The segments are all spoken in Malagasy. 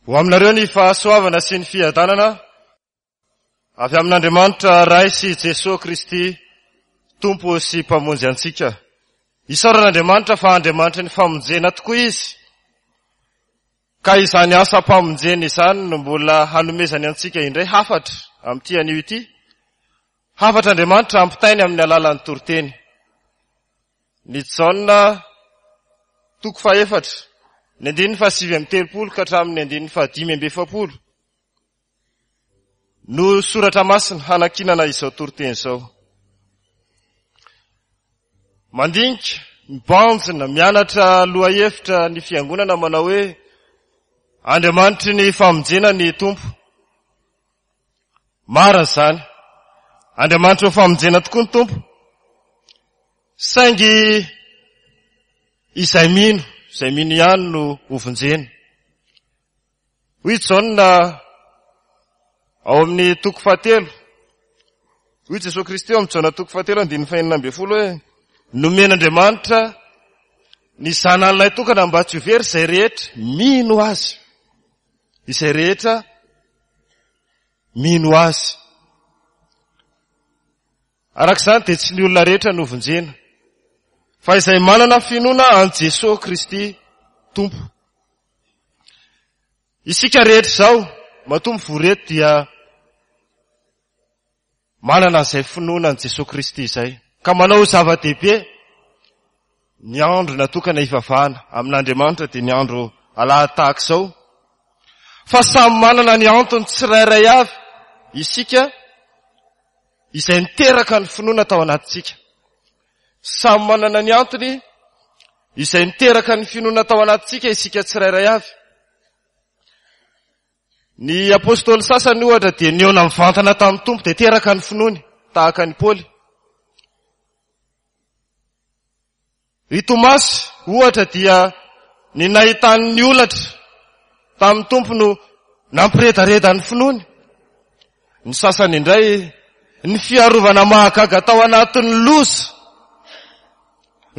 Ho aminareo ny fahasoavana sy ny fiadanana avy amin'Andriamanitra Ray sy Jesoa Kristy Tompo sy Mpamonjy antsika. Isaorana Andriamanitra fa Andriamanitry ny famonjena tokoa Izy. Ka izany asam-pamonjena izany no mbola hanomezany antsika indray hafatra amin'ity anio ity. Hafatr'Andriamanitra ampitainy amin'ny alalan'ny toriteny. Ny Jaona toko fahefatra, ny andininy faha-39 ka hatramin'ny andininy faha-45 no soratra masina hanankinana izao toriteny izao. Mandinika, mibanjina, mianatra lohahevitra ny fiangonana manao hoe Andriamanitry ny famonjena ny Tompo. Marina izany. Andriamanitry ny famonjena tokoa ny Tompo. Saingy izay mino, izay mino ihany no hovonjena. Hoy Jaona ao amin'ny toko fahatelo, hoy Jesoa Kristy ao amin'ny Jaona toko fahatelo andininy fahenina ambin'ny folo hoe nomen'Andriamanitra ny zanany lahy tokana mba tsy ho very izay rehetra mino azy. Izay rehetra mino azy. Araka izany dia tsy ny olona rehetra no vonjena, fa izay manana finoana an'i Jesoa Kristy Tompo. Isika rehetra izao, matoa mivory eto dia manana an'izay finoana an'i Jesoa Kristy izay, ka manao ho zava-dehibe ny andro natokana hivavahana amin'Andriamanitra dia ny andro alahady tahaka izao, fa samy manana ny antony tsirairay avy isika izay niteraka ny finoana tao anatintsika. Samy manana ny antony izay niteraka ny finoana tao anatintsika isika tsirairay avy. Ny apostoly sasany ohatra dia nihaona mivantana tamin'ny Tompo dia teraka ny finoany tahaka an'i Paoly. I Tomasy ohatra dia ny nahitany ny holatra tamin'ny Tompo no nampiredareda ny finoany. Ny sasany indray ny fiarovana mahagaga tao anatin'ny loza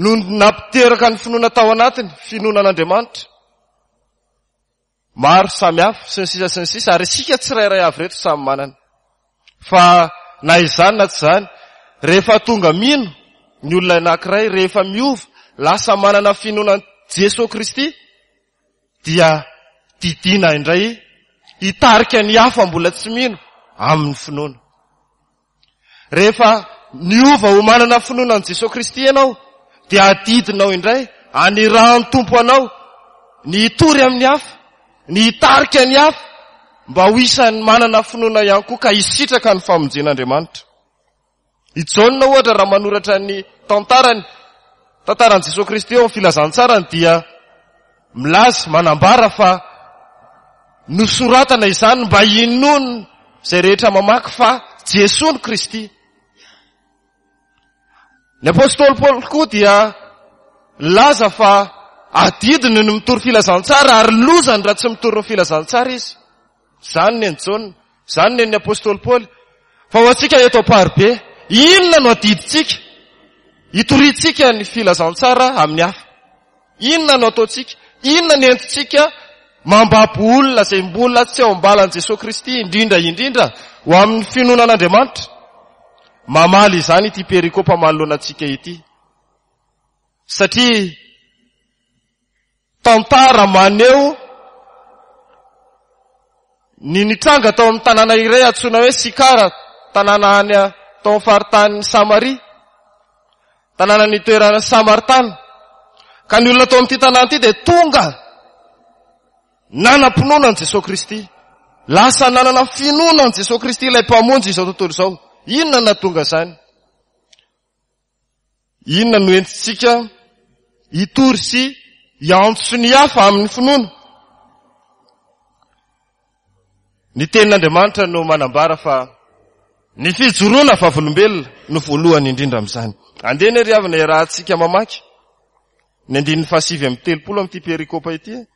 no nampiteraka ny finoana tao anatiny, finoana an'Andriamanitra. Maro samy hafa, sy ny sisa sy ny sisa, ary isika tsirairay avy ireto samy manana. Fa na izany na tsy izany, rehefa tonga mino ny olona anankiray, rehefa miova, lasa manana finoana an'i Jesoa Kristy, dia didiana indray hitarika ny hafa mbola tsy mino amin'ny finoana. Rehefa niova ho manana finoana an'i Jesoa Kristy ianao, dia adidinao indray anirahan'ny Tompo anao ny hitory amin'ny hafa, ny hitarika ny hafa mba ho isan'ny manana finoana ihany koa ka hisitraka ny famonjen'Andriamanitra. I Jaona ohatra raha manoratra ny tantarany, tantaran'i Jesoa Kristy eo amin'ny filazantsarany dia Milaza, manambara fa nosoratana izany mba hinoan' izay rehetra mamaky fa Jesoa no Kristy. Ny apostoly Paoly koa dia nilaza fa adidiny ny mitory filazantsara ary lozany raha tsy mitory ny filazantsara izy. Izany ny an'i Jaona, izany ny an'ny apostoly Paoly. Fa ho antsika eto Amparibe, inona no adidintsika hitoriantsika ny filazantsara amin'ny hafa? Inona no ataontsika? Inona ny entintsika mambabo olona izay mbola tsy ao am-balan'i Jesoa Kristy, indrindra indrindra ho amin'ny finoana an'Andriamanitra? Mamaly izany ity perikopa manoloana antsika ity. Satria tantara maneho ny nitranga tao amin'ny tanàna iray antsoina hoe Sikara, tanàna any tao amin'ny faritanin'i Samaria. Tanàna nitoeran'ny Samaritana. Ka ny olona tao amin'ity tanàna ity dia tonga nanam-pinoana an'i Jesoa Kristy. Lasa nanana finoana an'i Jesoa Kristy ilay Mpamonjy izao tontolo izao. Inona no nahatonga izany? Inona no entintsika hitory sy hiantso ny hafa amin'ny finoana? Ny tenin'Andriamanitra no manambara fa ny fijoroana vavolombelona no voalohany indrindra amin'izany. Andeha anie ry havana iarahantsika mamaky ny andininy faha-39 amin'ity perikopa ity.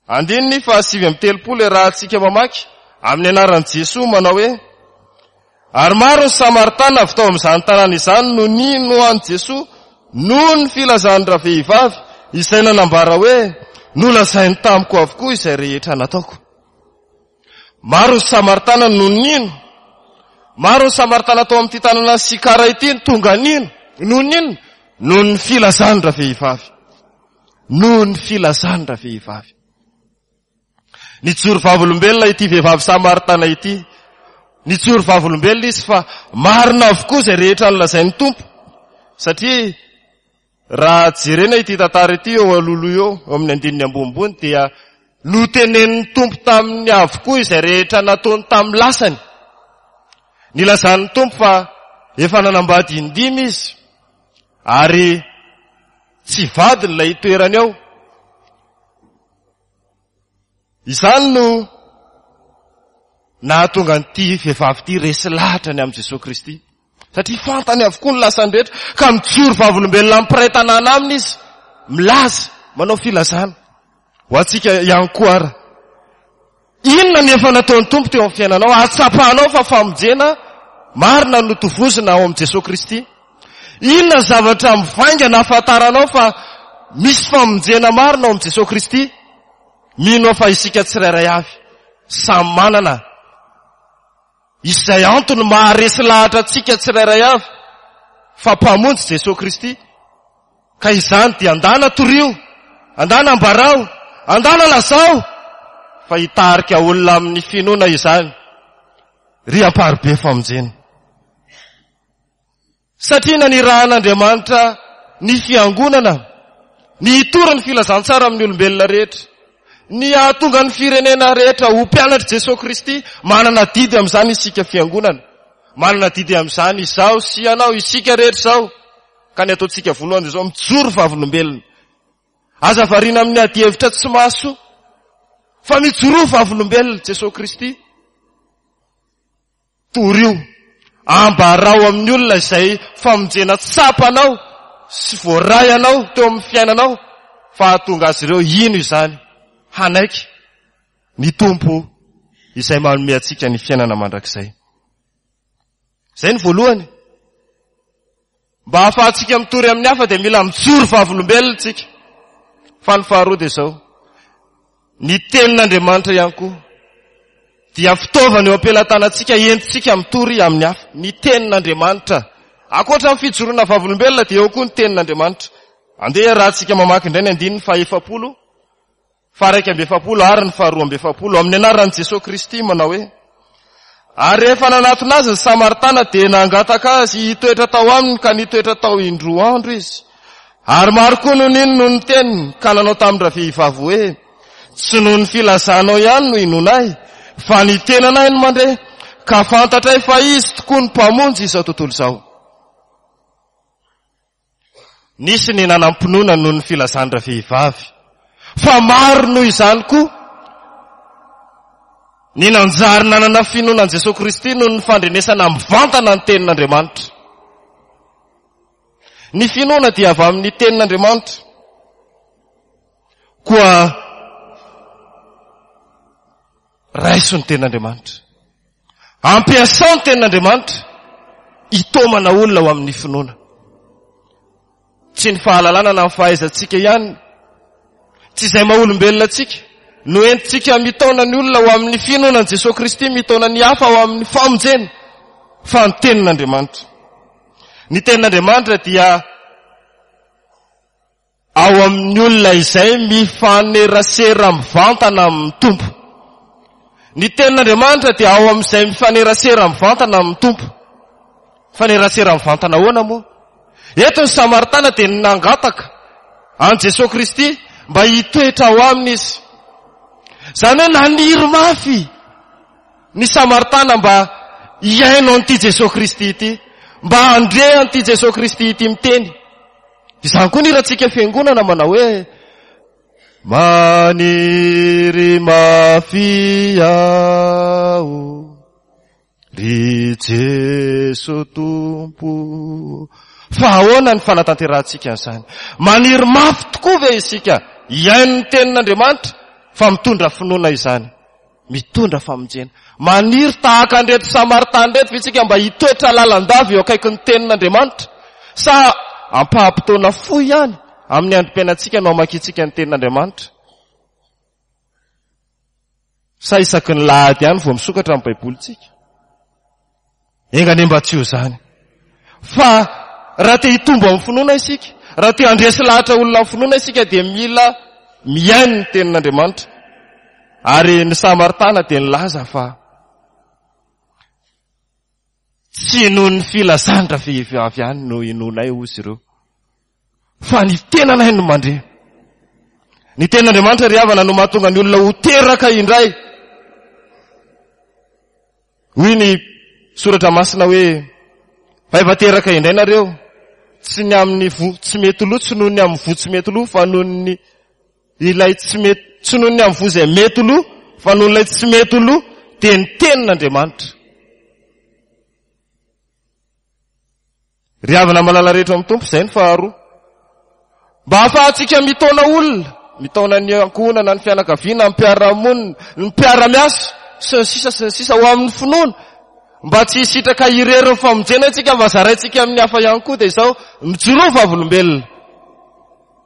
Andininy faha-39 iarahantsika mamaky amin'ny anaran'i Jesoa manao hoe, Ary maro ny Samaritana avy tao amin'izany tanàna izany no nino an'i Jesoa noho ny filazan'ny ravehivavy izay nanambara hoe, Nolazainy tamiko avokoa izay rehetra nataoko. Maro ny Samaritana no nino. Maro ny Samaritana tao amin'ity tanàna Sikara ity no tonga nino. Noho ny inona? Noho ny filazany ravehivavy. Noho ny filazany ravehivavy. Nijoro vavolombelona ity vehivavy Samaritana ity. Nijoro vavolombelona izy fa marina avokoa izay rehetra nolazain'ny Tompo. Satria raha jerena ity tantara ity eo alohaloha eo, eo amin'ny andininy ambonimbony dia notenenin'ny Tompo taminy avokoa izay rehetra nataony tamin'ny lasany. Nilazan'ny Tompo fa efa nanambady indimy izy ary tsy vadiny ilay itoerany ao. Izany no nahatonga an'ity vehivavy ity resy lahatra ny amin'i Jesoa Kristy. Satria fantany avokoa ny lasany rehetra, ka mijoro vavolombelona amin'ny mpiray tanàna aminy izy, milaza, manao filazana. Ho antsika ihany koa ara. Inona ny efa nataon'ny Tompo teo amin'ny fiainanao? Ahatsapanao fa famonjena marina no tovozina ao amin'i Jesoa Kristy. Inona ny zavatra mivaingana ahafantaranao fa misy famonjena marina ao amin'i Jesoa Kristy? Mino aho fa isika tsirairay avy samy manana izay antony maharesy lahatra antsika tsirairay avy fa Mpamonjy Jesoa Kristy. Ka izany dia andana torio, andana ambarao, andana lazao fa hitarika olona amin'ny finoana izany ry amparibe famonjena. Satria nanirahan'Andriamanitra ny fiangonana ny hitory ny filazantsara amin'ny olombelona rehetra, ny hahatonga ny firenena rehetra ho mpianatr'i Jesoa Kristy, manana adidy amin'izany isika fiangonana, manana adidy amin'izany izaho sy ianao, isika rehetra izao. Ka ny ataontsika voalohany dia izao, mijoro vavolombelona. Aza variana amin'ny adihevitra tsy mahasoa, fa mijoroa vavolombelona Jesoa Kristy. Torio, ambarao amin'ny olona izay famonjena tsapanao sy voaray anao teo amin'ny fiainanao fa hahatonga azy ireo hino izany, hanaiky ny Tompo izay manome antsika ny fiainana mandrakizay. Izay ny voalohany. Mba hahafahantsika mitory amin'ny hafa dia mila mijoro vavolombelona isika. Fa ny faharoa dia izao, ny tenin'Andriamanitra ihany koa dia fitaovana eo am-pelatanantsika entintsika mitory amin'ny hafa. Ny tenin'Andriamanitra. Ankoatra ny fijoroana vavolombelona dia eo koa ny tenin'Andriamanitra. Andeha iarahantsika mamaky indray ny andininy faha-efapolo. Faha-41 ary ny faha-42, amin'ny anaran'i Jesoa Kristy, manao hoe, Ary rehefa nanatona azy ny Samaritana dia nangataka azy hitoetra tao aminy ka nitoetra tao indroa andro izy. Ary maro koa no nino noho ny teniny ka nanao tamin-dravehivavy hoe, Tsy noho ny filazanao ihany no inoanay, fa ny tenanay no mandre, ka fantatray fa izy tokoa no Mpamonjy izao tontolo izao. Nisy ny nanam-pinoana noho ny filazan-dravehivavy, fa maro noho izany koa ny nanjary nanana finoana an'i Jesoa Kristy noho ny fandrenesana mivantana ny Tenin'Andriamanitra. Ny finoana dia avy amin'ny Tenin'Andriamanitra. Koa Raiso ny tenin'Andriamanitra. Ampiasao ny tenin'Andriamanitra hitaomana olona ho amin'ny finoana. Tsy ny fahalalana na ny fahaizantsika ihany, tsy izay maha olombelona antsika, no entintsika mitaona ny olona ho amin'ny finoana an'i Jesoa Kristy, mitaona ny hafa ho amin'ny famonjena, fa ny tenin'Andriamanitra. Ny tenin'Andriamanitra dia Ao amin'ny olona izay mifanerasera mivantana amin'ny Tompo. Ny tenin'Andriamanitra dia ao amin'izay mifanerasera mivantana amin'ny Tompo. Mifanerasera mivantana ahoana moa? Eto ny Samaritana dia nangataka an'i Jesoa Kristy mba hitoetra ao aminy izy. Izany hoe naniry mafy ny Samaritana mba hihaino an'ity Jesoa Kristy ity, mba handre an'ity Jesoa Kristy ity miteny. Izany koa ny hirantsika fiangonana manao hoe Maniry mafy aho ry Jeso Tompo. Fa ahoana ny fanatanterahantsika an'izany? Maniry mafy tokoa ve isika hihaino ny tenin'Andriamanitra fa mitondra finoana izany? Mitondra famonjena. Maniry tahaka an'ireto Samaritana ireto ve isika mba hitoetra lalandava eo akaikin'ny Tenin'Andriamanitra? Sa ampaham-potoana fohy ihany amin'ny androm-piainantsika no hamakiantsika ny Tenin'Andriamanitra? Sa isaky ny lahady ihany vao misokatra ny Baibolintsika? Enga anie mba tsy ho izany. Fa raha te hitombo amin'ny finoana isika, raha te handresy lahatra olona amin'ny finoana isika dia mila mihaino ny tenin'Andriamanitra. Ary ny Samaritana dia nilaza fa tsy noho ny filazan-dravehivavy ihany no inoanay hozy ireo. Fa ny tenanay no mandre. Ny tenin'Andriamanitra ry havana no mahatonga ny olona ho teraka indray. Hoy ny soratra masina hoe, fa efa teraka indray nareo, tsy ny amin'ny voa tsy mety lo, tsy noho ny amin'ny voa tsy mety lo, fa noho ny ilay tsy mety, tsy noho ny amin'ny voa izay mety lo, fa noho ilay tsy mety lo, dia ny tenin'Andriamanitra. Ry havana malala rehetra ao amin'ny Tompo, izay ny faharoa. Mba hahafahantsika mitaona olona, mitaona ny ankohonana, ny fianakaviana, ny mpiara-monina, ny mpiara-miasa, sy ny sisa sy ny sisa, ho amin'ny finoana. Mba tsy hisitraka irery ny famonjena isika fa zaraintsika amin'ny hafa ihany koa dia izao, mijoroa vavolombelona.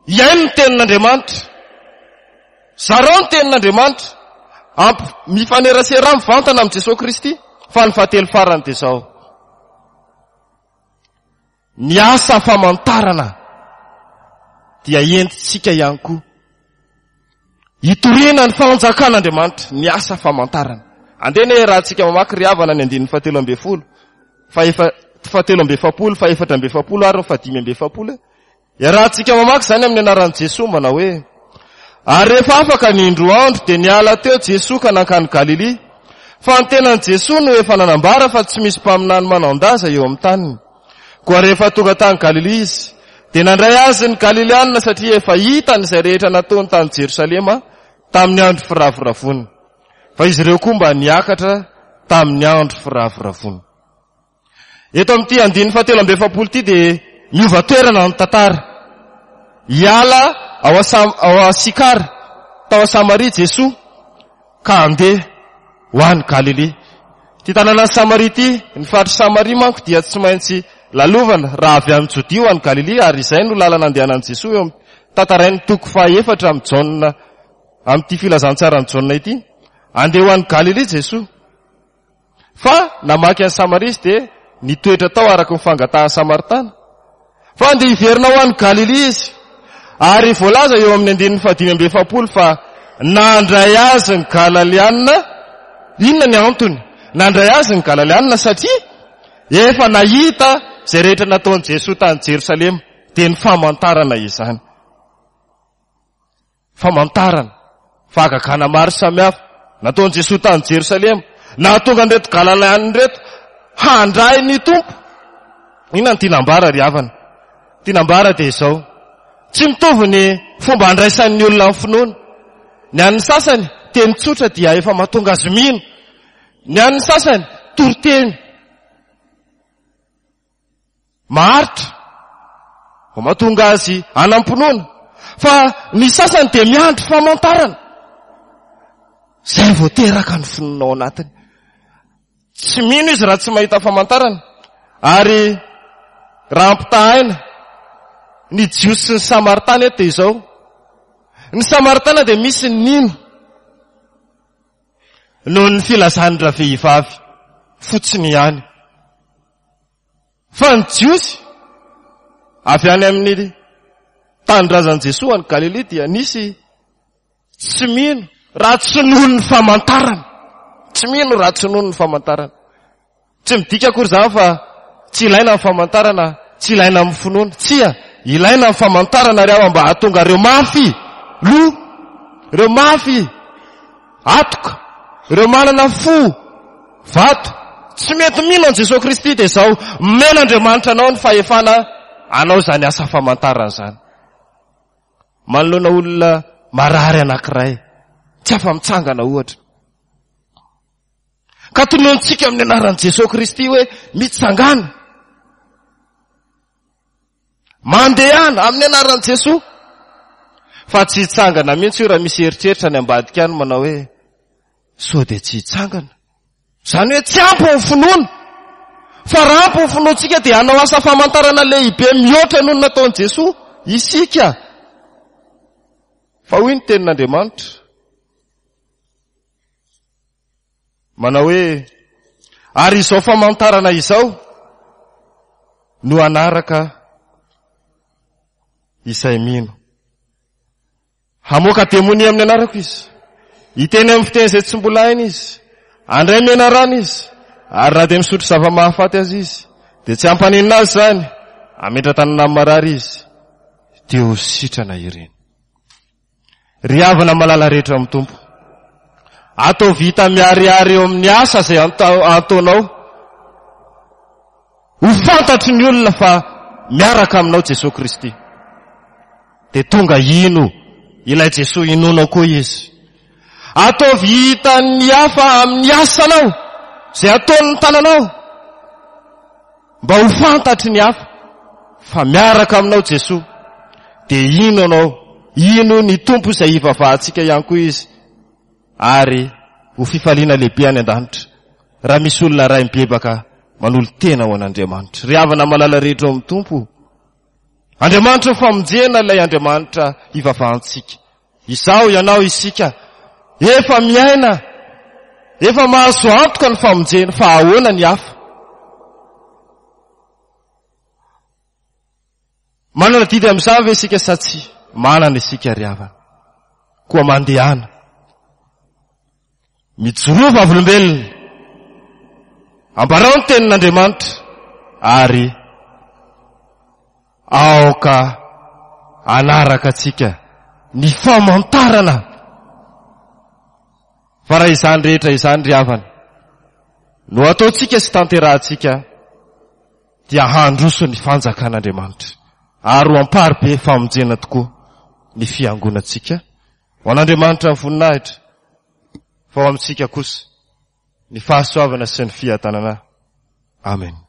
Hihaino ny tenin'Andriamanitra. Zarao ny tenin'Andriamanitra. Amp mifanerasera mivantana amin'i Jesoa Kristy. Fa ny fahatelo farany dia izao. Ny asa famantarana dia entintsika ihany koa hitoriana ny fanjakan'Andriamanitra, ny asa famantarana. Andeha anie raha tsika mamaky ry havana ny andininy fahatelo ambin'ny folo, fahefa, fahatelo amby efapolo, fahefatra amby efapolo ary ny fahadimy amby efapolo e. Iarahantsika mamaky izany amin'ny anaran'i Jesoa manao hoe, Ary rehefa afaka ny indroa andro dia niala teo Jesoa ka nankany Galilia. Fa ny tenan'i Jesoa no efa nanambara fa tsy misy mpaminany manan-daza eo amin'ny taniny. Koa rehefa tonga tany Galilia izy, dia nandray azy ny Galilianina satria efa hitany izay rehetra nataony tany Jerosalema tamin'ny andro firavoravoana. Fa izy ireo koa mba niakatra tamin'ny andro firavoravoana. Eto amin'ity andininy fahatelo amby 40 ity dia miova toerana ny tantara. Hiala ao ao Sikara, tao Samaria Jesoa ka handeha ho any Galilia. Ity tanànan'i Samaria ity, ny faritr'i Samaria manko dia tsy maintsy lalovana raha avy any Jodia ho any Galilia ary izay no lalana andehanan'i Jesoa eo amin'ny tantarain'ny toko fahaefatra amin'i Jaona amin'ity filazantsaran'i Jaona ity. Andeha ho any Galilia Jesoa. Fa namaky an'i Samaria izy dia nitoetra tao araka ny fangatahan'ny Samaritana. Fa handeha hiverina ho any Galilia izy. Ary voalaza eo amin'ny andininy fahadimy amby 40 fa nandray azy ny Galalianina. Inona ny antony? Nandray azy ny Galalianina satria efa nahita izay rehetra nataon'i Jesoa tany Jerosalema. Dia ny famantarana izany. Famantarana, fahagagana maro samihafa nataon'i Jesoa tany Jerosalema, nahatonga an'ireto Galaleana ireto handray ny Tompo. Inona no tiana ambara ry havana? Tiana ambara dia izao, tsy mitovy ny fomba andraisan'ny olona ny finoana. Ny an'ny sasany, teny tsotra dia efa mahatonga azy mino. Ny an'ny sasany, toriteny. Maharitra vao mahatonga azy hanam-pinoana. Fa ny sasany dia miandry famantarana. Izay vao teraka ny finoana ao anatiny. Tsy mino izy raha tsy mahita famantarana. Ary raha ampitahaina ny Jiosy sy ny Samaritana eto dia izao. Ny Samaritana dia misy ny nino noho ny filazan'ny ravehivavy fotsiny ihany. Fa ny Jiosy avy any amin'ny tanindrazan'i Jesoa any Galilia dia nisy tsy mino raha tsy noho ny famantarana. Tsy mino raha tsy noho ny famantarana. Tsy midika akory izany fa tsy ilaina ny famantarana, tsy ilaina amin'ny finoana. Tsia, ilaina ny famantarana ry aho mba hahatonga ireo mafy loha, ireo mafy atoka, ireo manana fo Vato, tsy mety mino an'i Jesoa Kristy dia izao, omen'Andriamanitra anao ny fahefana hanao izany asa famantarana izany. Manoloana olona marary anankiray, tsy afa-mitsangana ohatra. Ka tononontsika amin'ny anaran'i Jesoa Kristy hoe mitsangana. Mandehana amin'ny anaran'i Jesoa. Fa tsy hitsangana mihitsy io raha misy eritreritra any ambadika any manao hoe Sao dia tsy hitsangana. Izany hoe tsy ampy ny finoana. Fa raha ampy ny finoantsika dia hanao asa famantarana lehibe mihoatra noho ny nataon'i Jesoa isika. Fa hoy ny tenin'Andriamanitra. Manao hoe, ary izao famantarana izao no hanaraka izay mino. Hamoaka demonia amin'ny anarako izy. Hiteny amin'ny fiteny izay tsy mbola hainy izy. Handray menarana izy. Ary na dia misotro zava-mahafaty aza izy, dia tsy hampaninona azy izany. Hametra-tanana amin'ny marary izy, dia ho sitrana ireny. Ry havana malala rehetra amin'ny Tompo, ataovy hita miharihary eo amin'ny asa izay ataonao. Ho fantatry ny olona fa miaraka aminao Jesoa Kristy. Dia tonga hino ilay Jesoa inoanao koa izy. Ataovy hitan'ny hafa amin'ny asanao, izay ataon'ny tananao. Mba ho fantatry ny hafa fa miaraka aminao Jesoa. Dia hino anao, hino ny Tompo izay hivavahantsika ihany koa izy. Ary ho fifaliana lehibe any an-danitra raha misy olona iray mibebaka manolo-tena ho an'Andriamanitra. Ry havana malala rehetra ao amin'ny Tompo, Andriamanitra ho famonjena ilay Andriamanitra hivavahantsika. Izaho, ianao, isika, efa miaina, efa mahazo antoka ny famonjena, fa ahoana ny hafa? Manana adidy amin'izany ve isika sa tsia? Manana isika ry havana. Koa mandehana. Mijoroa vavolombelona. Ambarao ny tenin'Andriamanitra ary aoka hanaraka antsika ny famantarana. Fa raha izany rehetra izany ry havana no ataontsika sy tanterahantsika dia handroso ny fanjakan'Andriamanitra ary ho amparibe famonjena tokoa ny fiangonantsika. Ho an'Andriamanitra ny voninahitra fa ho amintsika kosa ny fahasoavana sy ny fiadanana. Amen.